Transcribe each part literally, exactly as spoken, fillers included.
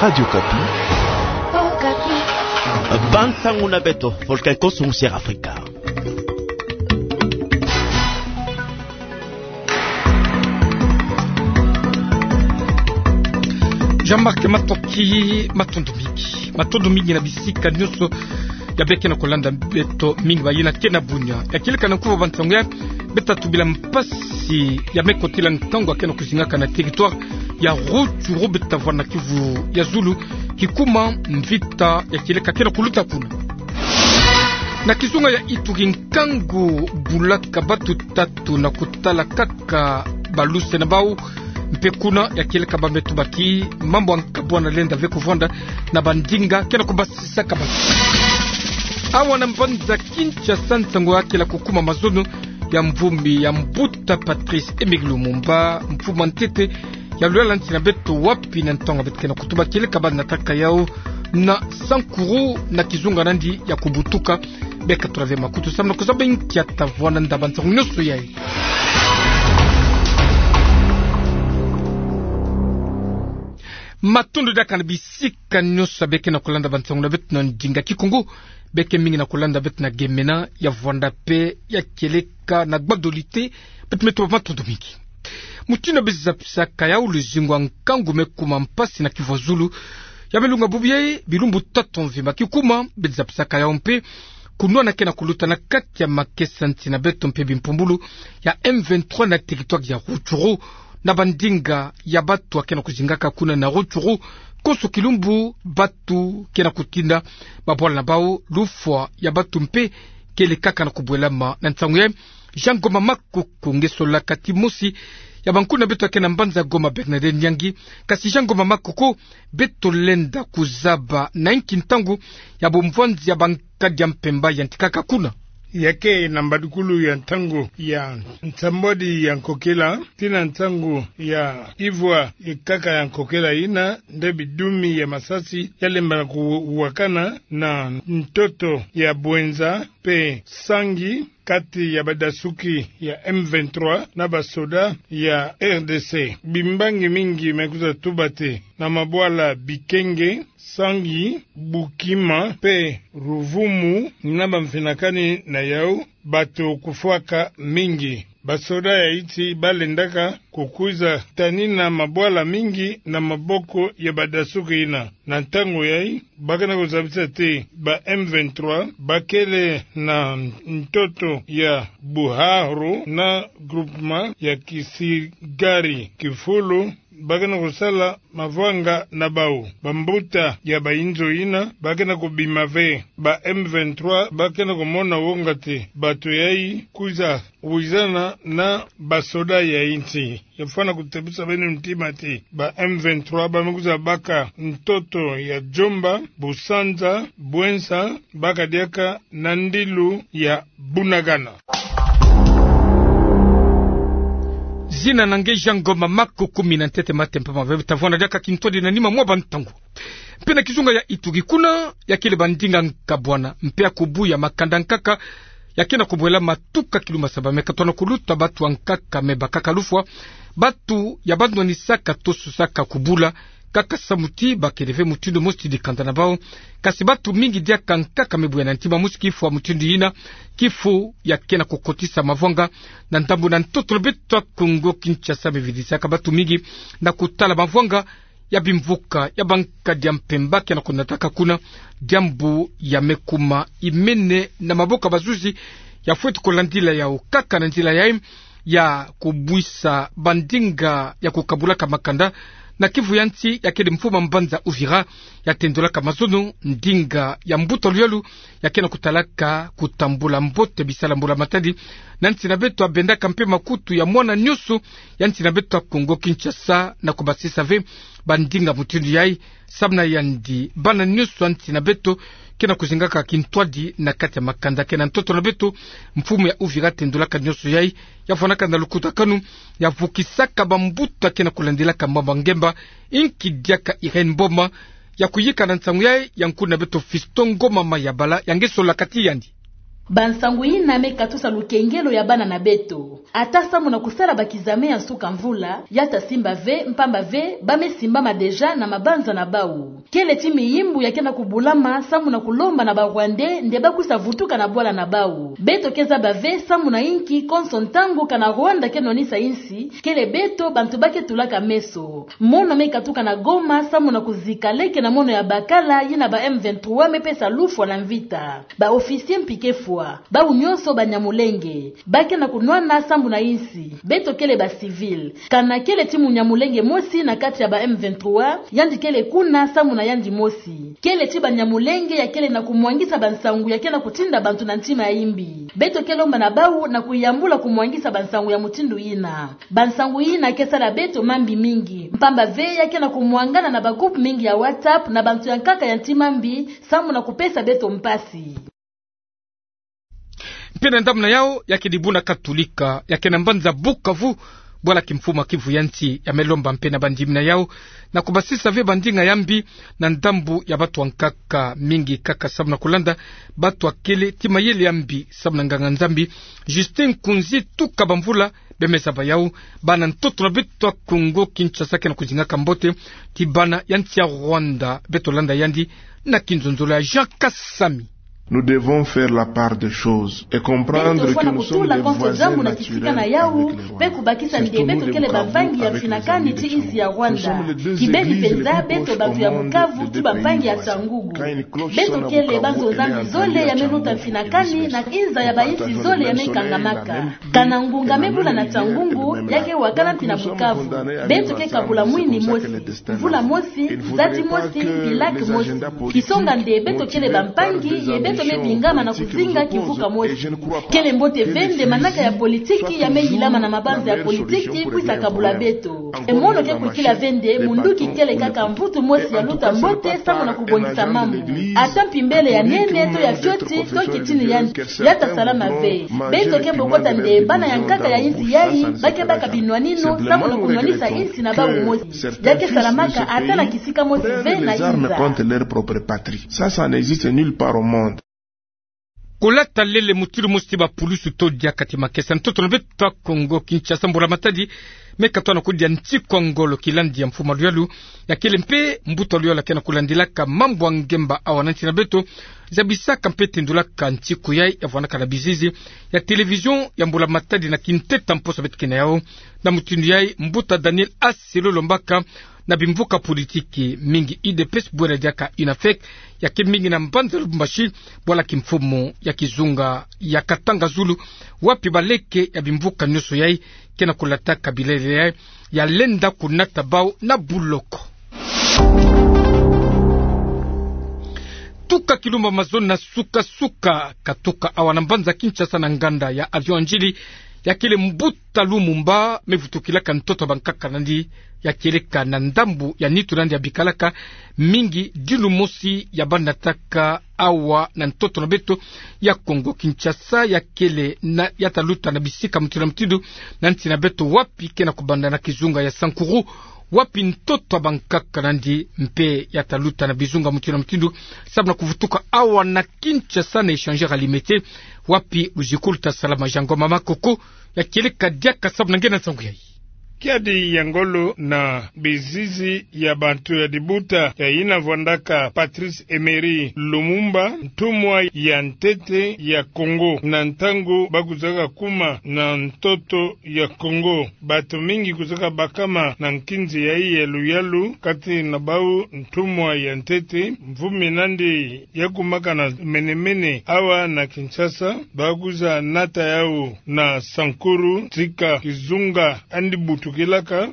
Radio Okapi. Bansangu na beto, Volcan Koso, Sierra Africa. Jean-Marc Matoki, matondo mingi. Matondo mingi na bisika nyonso ya beke na kolanda beto, mingi bayina ke na bunya. Ya kieleka na nkufa bansangu ya, beta tubila mpasi ya me kotila ntangu ya ke na kuzingaka na territoire ya Rutshuru, beta vwanda na kivu ya zulu, kikuma mvita ya kieleka ke na kuluta kuna. Na kizunga ya Ituri, nkangu bulaka batu tatu na kutala kaka baluse na bau, mpe kuna ya kieleka ba me tubaki mambu ya nkabwana lenda ve kuvwanda na bandinga ke na kubasisaka batu. Awa na mbanza Kinshasa, nsangu ya kele kukuma mazono ya mvumbi ya mbuta Patrice Emery Lumumba, mfumu ya ntete ya luyala nsi na beto, wapi na ntangu beto ke na kutuba kieleka ba nataka yau na Sankuru na kizunga nandi ya kubutuka. Beka tula ve makutu samu na kuzaba nkia ta vwanda nda bansangu nyonso yayi. Matondo diaka na bisika nyonso beke na kolanda bansangu na beto na ndinga Kikongo. Beke mingi na kolanda beto na gemena ya vwanda mpe ya kieleka na gbadolite. Beto me tuba matondo mingi. Mutindu beza pisaka yau, luzingu ya nkangu me kuma mpasi na kivu ya zulu ya me lunga bubu yayi bilumbu tatu mvimba. Kikuma beza pisaka yau mpe kunwana ke na kuluta na kati ya makesa nsi na beto mpe bimpumbulu ya M vingt-trois na territoire ya Rutshuru, na bandinga ya batu ya ke na kuzingaka kuna na Rutshuru. Konso kilumbu batu ke na kutinda mabwala na bau, lufwa ya batu mpe kele kaka na kubwelama. Na nsangu ya Jean Ngoma Makoko, nge sola kati mosi ya bankulu na beto ya ke na mbanza Goma, Bernadette Nyangi. Kasi Jean Ngoma Makoko, beto lenda kuzaba na inki ntangu ya bumvwanzi ya bankadi ya mpemba yantikaka kuna? Ya ke na mbadukulu ya ntangu ya nsambwadi ya nkokela tii na ntangu ya ivwa ya nkaka ya nkokela yina, nde bidumi ya masasi ya lemba na kuwakana na ntoto ya Bouenza mpe Sangi, kati ya badasuki ya M vingt-trois na basoda ya R D C. Bimbangi mingi me kwiza tubate na mabwala Bikenge, Sangi, Bukima mpe Ruvumu, na bamfinakani na yau, bato kufwaka mingi. Basoda ya insi balendaka kukwiza tanina mabwala mingi na maboko ya badasuki yina. Na ntangu yayi, ba ke na kuzabisa ti ba M vingt-trois ba kele na ntoto ya Buharu na groupement ya Kisigari Kifulu, ba ke na kusala mavwanga na bau. Bambuta ya bayinzo yina ba ke na kubima ve. Ba M vingt-trois ba ke na kumona wonga ti bato yayi kwiza wizana na basoda ya insi. Ya fwana kutebisa beno ntima ti ba M vingt-trois ba me kwiza baka ntoto ya Djomba, Busanza, Bouenza, baka diaka na ndilu ya Bunagana. Zina na nge Jean Ngoma Makoko, mina ntete mate mpamba ve. Beta vwanda diaka kintwadi na nima mwa bantangu. Mpe na kizunga ya Ituri, kuna ya kele bandinga nkabwana mpe ya kubuya makanda nkaka ya ke na kubwelama tuka kilumbu saba. Me katwa na kuluta, batu ya nkaka me bakaka lufwa, batu ya banwanisaka to susaka kubula kaka samu ti ba kele ve mutindu mosi ti dikanda na bau. Kasi batu mingi diaka nkaka me buya na ntima mosi kifu ya mutindu yina, kifu ya ke na kukotisa mavwanga na ndambu na ntoto na beto ya Kongo Kinshasa. Me vidisaka batu mingi na kutala mavwanga ya bimvuka ya bankadi ya mpemba ke na kunataka kuna, diambu ya me kuma imene na maboko ya bazuzi. Ya fweti kulandila yau kaka na nzila yayi ya kubwisa bandinga ya kukabulaka makanda na kivu ya nsi. Ya kele mfumu ya mbanza Uvira ya tendolaka mazono ndinga ya mbuta luyalu ya ke na kutalaka kutambula mbote bisala mbula matadi na nsi na beto, abendaka mpe makutu ya mwana nyonso ya nsi na beto ya Kongo Kinshasa na kubasisa ve bandinga mutindu yayi, samu na yandi bana nyonso ya nsi na beto ke na kuzingaka kintwadi na kati ya makanda. Ke na ntoto na beto, mfumu ya Uvira tendolaka nyonso yayi. Ya fwanaka na lukutakanu ya vukisaka bambuta ke na kulandilaka mambu ya ngemba, inki diaka Irène Mboma ya kuyika na nsangu yayi ya nkulu na beto Fiston Ngoma Mayabala, ya nge sola kati yandi. Bansangu yina me katusa lukengelo ya bana na beto. Ata samu na kusala bakizame ya nsuka mvula, ya ta simba ve, mpamba ve ba me simbama déjà na mabanza na bau. Kele ti miyimbu ya ke na kubulama samu na kulomba na ba Rwandais nde ba kwisa vutuka na bwala na bau. Beto ke zaba ve samu na inki konso ntangu kana Rwanda ke nwanisa insi, kele beto bantu ba ke tulaka meso. Mono me katuka na Goma samu na kuzika leke na mono ya bakala yina ba M vingt-trois me pesa lufwa na mvita. Ba officiers mpi ke fwa, bau nyonso Banyamulenge. Ba ke na kunwana samu na insi. Beto kele ba civils. Kana kele ti Munyamulenge mosi na kati ya ba M vingt-trois, yandi kele kuna samu na yandi mosi. Kele ti Banyamulenge ya kele na kumwangisa bansangu ya ke na kutinda bantu na ntima ya yimbi. Beto ke lomba na bau na kuyambula kumwangisa bansangu ya mutindu yina. Bansangu yina ke sala beto mambi mingi. Mpamba ve ya ke na kumwangana na ba groupe mingi ya WhatsApp na bantu ya nkaka ya ntima mbi, samu na kupesa beto mpasi. Mpe na ndambu na yau, ya ke dibuna Katolika ya ke na mbanza Bukavu, bwala kimfumu ya Kivu ya nsi ya me lomba mpe na bandimi na yau na kubasisa ve bandinga ya mbi na ndambu ya batu ya nkaka, mingi kaka samu na kulanda batu ya kele ti mayele ya mbi samu na nganga-Nzambi Justin Kunzi, tuka bamvula be me zaba yau, bana ntoto na beto ya Kongo Kinshasa ke na kuzingaka mbote ti bana ya nsi ya Rwanda. Beto landa yandi na kinzonzolo ya Jean Kasami. Nous devons faire la part des choses et comprendre que nous sommes des voisins naturels avec les Rwandais. Beto fwana kutula konso diambu na kisika na yau, mpe kubakisa nde beto kele bampangi ya mfinakani ti insi ya Rwanda. Kibeni mpenza, beto batu ya Bukavu ti bampangi ya Cyangugu. Beto kele banzo-Nzambi zole ya me luta mfinakani na inza ya bainsi zole ya me kangamaka. Kana ngunga me bula na Cyangugu, ya ke wakana mpi na Bukavu. Beto ke kabula mwini mosi, mvula mosi, nzati mosi, mpi lac mosi. Kisonga nde beto kele bampangi, ye beto me bingama na kuzinga kivuka mosi. Kele mbote ve nde manaka ya politiki ya me yilama na mabanza ya politiki kwisa kabula beto. E mono ke kwikila ve nde munduki kele kaka mvutu mosi ya luta mbote samu na kubongisa mambu. Ata mpi mbele ya nene to ya fioti to kitini yandi, ya ta salama ve. Beto ke bokota nde bana ya nkaka ya insi yai ba ke baka binwanino samu na kunwanisa insi na bau mosi. Ya ke salamaka ata na kisika mosi ve na inza. Ça, ça n'existe nulle part au monde. Kulata lele mutindu mosi ti bapulusu to diaka ti makesa. Ntoto na beto ya Kongo Kinshasa, mbula matadi me katoa na kudia ntiku ya ngolo kilandi ya mfumu ya luyalu. Ya kele mpe mbuta ya luyalu ya ke na kulandilaka mambu ya ngemba awa na nsi na beto, zabisaka mpe tendulaka ntiku yai ya vwandaka na bizizi ya télévision ya mbula matadi na kinteta mposo beto ke na yau. Na mutindu yai, mbuta Daniel Aselo Lombaka na bimvuka politiki mingi, U D P S bwena diaka UNAFEC, ya ke mingi na mbanza Lubumbashi, bwala kimfumu ya kizunga ya Katanga Zulu, wapi baleke ya bimvuka nyonso yai ke na kulataka bilele yai ya lenda kunata bau na buloko. Tuka kilumba mazono na suka-suka, katuka awa na mbanza Kinshasa na nganda ya avion Ndjili, ya kele mbuta Lumumba me vutukilaka ntoto ya bankaka na yandi, ya kieleka na ndambu ya nitu na yandi ya bikalaka, mingi dilu mosi ya banataka awa na ntoto na beto ya Kongo Kinshasa, ya kele na ya ta luta na bisika mutindu na mutindu na nsi na beto, wapi ke na kubanda na kizunga ya Sankuru, wapi ntoto ya bankaka na yandi mpe ya ta luta na bizunga mutindu na mutindu, samu na kuvutuka awa na Kinshasa na échangeur ya Limete, wapi luzikulu ta salama. Jean Ngoma Makoko ya kieleka diaka samu na nge na nsangu yai. Kiadi ya ngolo na bizizi ya bantu ya dibuta ya yina vwandaka Patrice Emery Lumumba, ntumwa ya ntete ya Kongo, na ntangu ba kwizaka kuma na ntoto ya Kongo. Bato mingi kwizaka bakama na nkinzi yai ya luyalu, kati na bau ntumwa ya ntete, mvumi na yandi ya kumaka na mene-mene awa na Kinshasa, ba kwiza nata yau na Sankuru, tika kizunga yandi butukilaka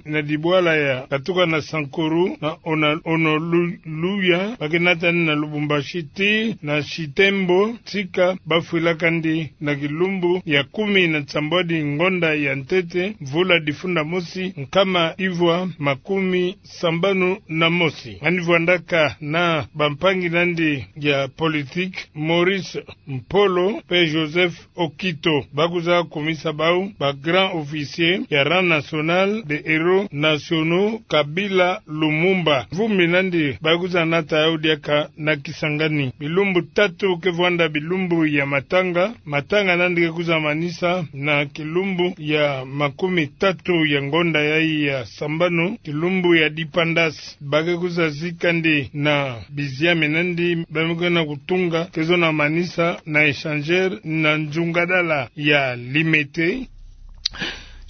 na dibwala ya katuka na Sankuru, na Ona-, Onoluya, ba ke nata yandi na Lubumbashi tii na Chitembo, tika ba fwilaka yandi na kilumbu ya kumi na nsambwadi ngonda ya ntete, mvula difunda mosi, nkama ivwa makumi sambanu na mosi. Yandi vwandaka na bampangi na yandi ya politique, Maurice Mpolo mpe Joseph Okito. Ba kwiza kumisa bau ba grand officier ya rang national de Héros Nationaux Kabila Lumumba. Mvumbi nandi bakuzanata yau diaka na Kisangani. Bilumbu tatu ke vwanda bilumbu ya matanga. Matanga nandi ke kuzamanisa na kilumbu ya makumi tatu ya ngonda yayi ya sambanu, kilumbu ya dipendance. Ba ke kuzazi kandi na biziami nandi ba me kwenda kutunga, ke zona manisa na échangeur na nzungadala ya Limete.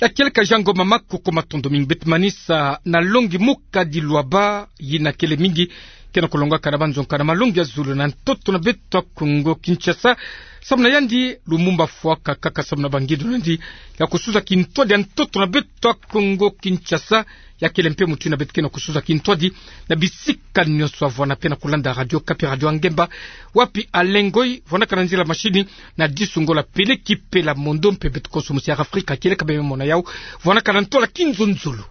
Ya kieleka Jean Ngoma Maku, ko matondo mingi. Beto manisa na longi mukadi lwaba, yina kele mingi ke na kulongaka na banzonka na malongi ya zulu na ntoto na beto ya Kongo Kinshasa. Samu na yandi, Lumumba afwaka kaka samu na bangindo nandi ya kusuza kintwadi ya ntoto na beto ya Kongo Kinshasa. Ya kele mpe mutu yina beto ke na kusuza kintwadi na bisika nyonso. Avwanda mpe na kulanda Radio Okapi, Radio Angemba, wapi Alain Ngoy vwandaka na nzila machine, na Disu Ngola Pele Kipela Mondo, mpe beto konso musi ya Afrika kieleka bembe mona yau, vwandaka na ntwala kinzonzolo.